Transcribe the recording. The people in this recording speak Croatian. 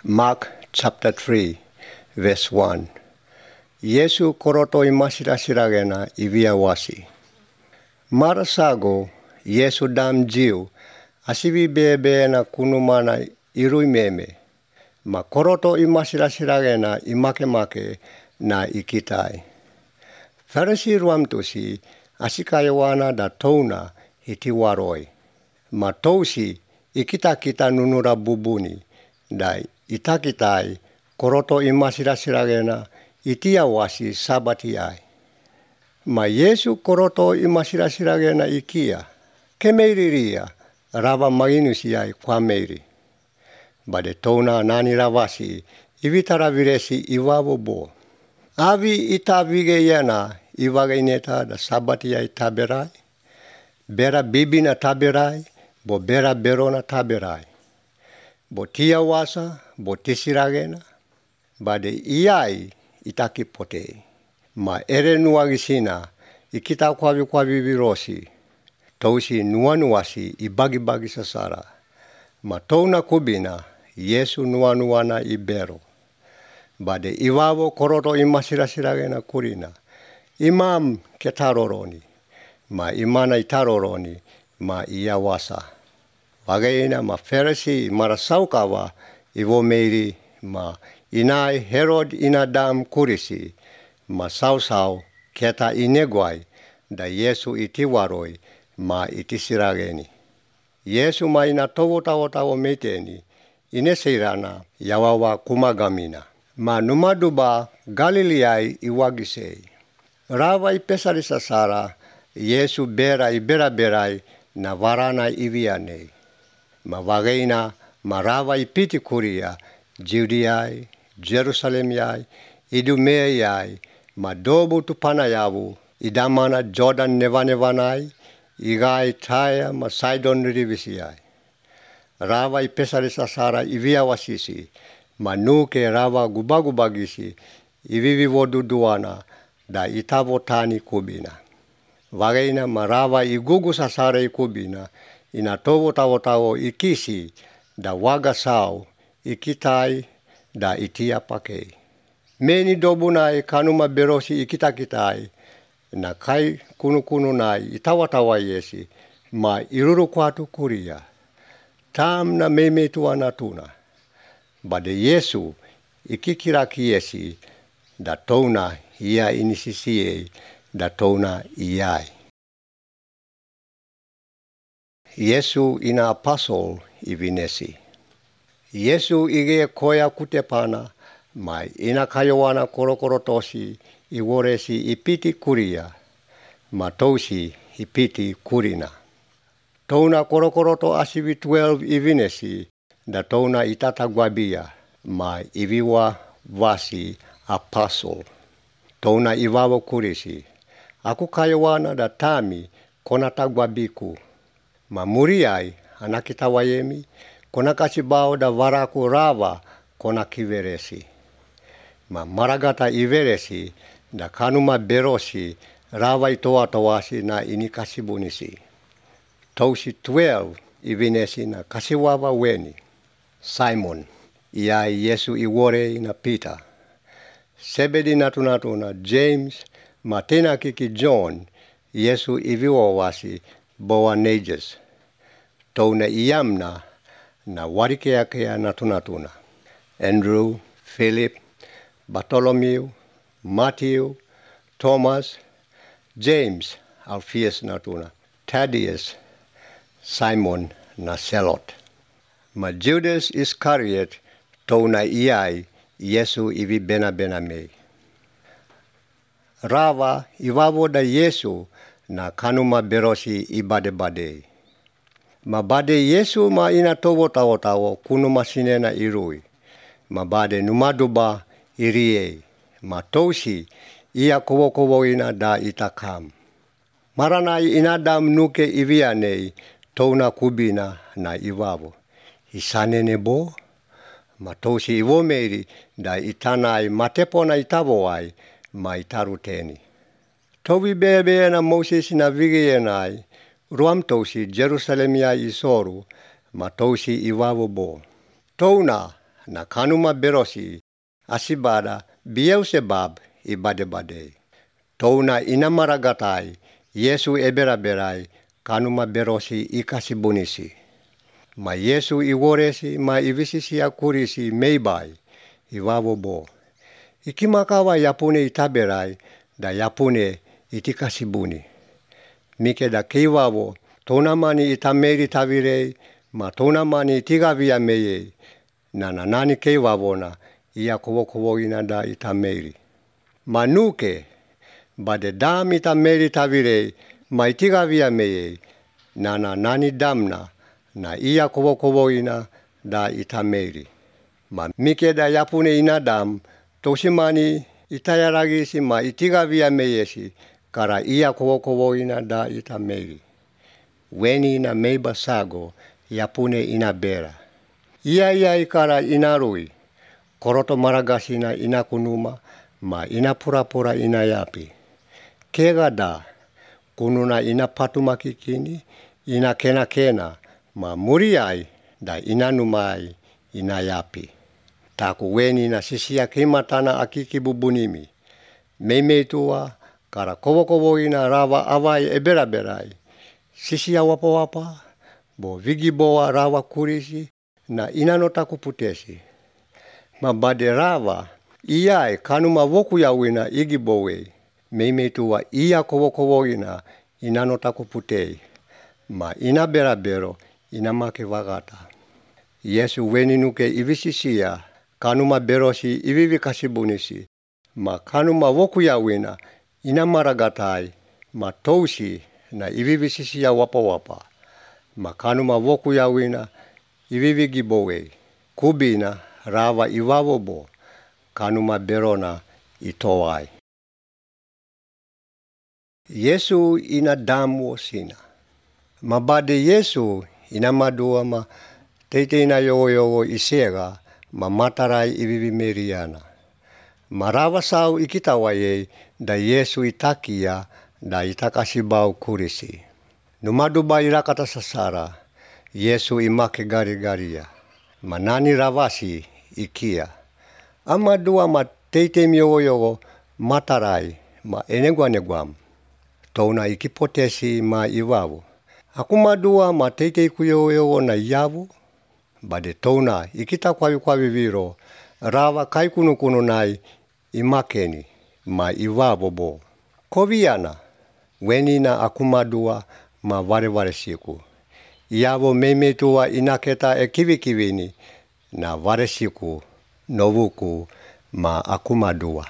Mark chapter 3, verse 1. Yesu koroto imasirasiragena iviawasi. Mara sago, Yesu dam jiu, asivi bebe na kunumana irui meme. Ma koroto imasirasiragena imake na ikitai. Farisi ruamtusi asikayawana da touna hitiwaroi. Ma tousi ikita nunura bubuni da itakitai koroto imasirasiragena itiawasi sabatiai. Ma Yesu koroto imasirasiragena ikia. Kemeiriria rava maginusiai kwa meiri. Bade touna nani ravasi ivitara viresi iwavo bo. Avi itavige yena iwagaineta da sabatiai taberai. Bera bibina taberai, bo bera berona taberai. Bo tia wasa, bo tisiragena. Bade iai itaki potei. Ma ere nuagisina ikita kwavi virosi. Tousi nuanuasi ibagi sasara. Ma touna kubina Yesu nuanuana ibero. Bade iwavo koroto imasirasiragena kurina. Imam ketaroroni. Ma imana itaroroni ma iawasa. Wagaina ma Pharisee marasaukawa ivo meiri ma inai Herod inadam kurisi ma sausau keta ineguai da Yesu itiwaroi ma itisirageni. Yesu ma ina towo meteni inesirana yawawa kumagamina. Ma numaduba Galileai iwagisei. Rava ipesari sasara Yesu ibera na varana ivianei. Ma wagaina ma rava ipiti kuria Judeai, Jerusalemiai, Idumeai, ma dobu tupanayavu idamana Jordan nevanevanai, igai Taya ma Sidon rivisiai. Rava ipesari sasara iviawasisi, ma nuke rava gubagisi ivivivoduduana da itavotani kubina. Wagaina ma rava igugu sasara ikubina, ina towo ikisi da wagasau ikitai da itia pakei. Meni dobunai kanuma berosi ikitakitai, na kai kunu-kununai itawa yesi, ma iruru kwatu kuria. Tam na memetua natuna. Bade Yesu ikikirakiesi da touna ia inisisiei da touna iai. Yesu ina apostle ivinesi. Yesu ige koya kutepana, mai ina kayowana korokorotosi iworesi ipiti kuria, ma tousi ipiti kurina. Touna korokoroto asivi 12 ivinesi, da touna itatagwabia, ma iviwa vasi apostle. Touna iwavo kurisi. Aku kayowana da tami konatagwabiku. Ma muriai anakitawayemi konakasibao da varaku rava konakiveresi. Ma maragata iveresi da kanuma berosi rava itoatowasi na inikasibunisi. Tousi 12 ivinesi na kasiwawa weni. Simon, iai Yesu iwore ina Peter. Sebedi natuna James, matena kiki John, Yesu iviwawasi Boanerges. Touna iamna na warikeakea natuna. Andrew, Philip, Bartholomew, Matthew, Thomas, James, Alphaeus natuna, Thaddeus, Simon na Zelot. Ma Judas Iscariot touna iai Yesu ivi bena mei. Rava iwavo da Yesu na kanuma berosi ibade. Ma bade Yesu ma ina towo kunuma sinena irui. Ma bade numaduba iriei. Ma tousi ia kowo ina da itakam. Maranai inadam nuke ivianei touna kubina na iwavo. Isanene bo, ma tousi iwomeri da itanai matepona itavoai ma itaruteni. Tovi bebe na Moses na vigienai, ruam tousi Jerusalemia isoru, ma tousi iwavo bo. Touna na kanuma berosi asibada Beelzebub ibade-bade. Touna inamaragatai Yesu ebera-berai kanuma berosi ikasibunisi. Ma Yesu iworesi ma ivisisi akurisi meibai iwavobo. Ikimakawa yapune itaberai da yapune itikasibuni. Mike da keiwavo tonamani itameri tavirei ma tonamani itigavia meye na nani keivavona ia kowo ina da itameri. Manuke bade dam itameri tavirei ma itigavia meye na nani damna na ia kowo ina da itameri. Ma mike da yapune ina dam tosimani itayaragisi ma itigavia meyesi kara ia kowo ina da itameri. Weni ina meiba sago yapune ina bera. Ia ikara inarui. Koroto maragasina ina kunuma ma ina pura ina yapi. Kega da kununa ina patumakikini ina kena ma muriai da ina numai ina yapi. Taku weni na sisia kimatana akiki bubunimi. Meimeitua kara kowo ina rawa awai ebera-berai. Sisia wapa bo vigiboa rawa kurisi na inanota kuputesi. Mabade rawa iai kanuma woku yawina igibowe. Meimeitua ia kowo ina inanota kuputei. Ma ina bera-bero ina make wagata. Yesu weni nuke ivisisia kanuma berosi ivivi kasibunisi. Ma kanuma woku yawina ina maragatai ma tousi na ivivisisia wapa. Ma kanuma woku yawina ivivi gibowe. Kubina rawa iwavobo kanuma berona itowai. Yesu ina damu sina. Mabade Yesu ina madua ma teite ina yogo isega ma matarai ivivi meriana. Marawa sau ikitawaye da Yesu itakia da itakasibau kurisi. Numaduba irakata sasara Yesu imake gari-garia. Manani rawasi ikia. Amadua ma teite yogo matarai ma eneguam. Touna ikipotesi ma iwavu. Akumadua ma teite yogo na yavu. Bade touna ikita kwavi viro rawa kaikunu nai imakeni ma iwavobo. Koviana weni na akumadua ma vare siku. Iavo meimeitua inaketa kivikivini na vare siku novuku ma akumadua.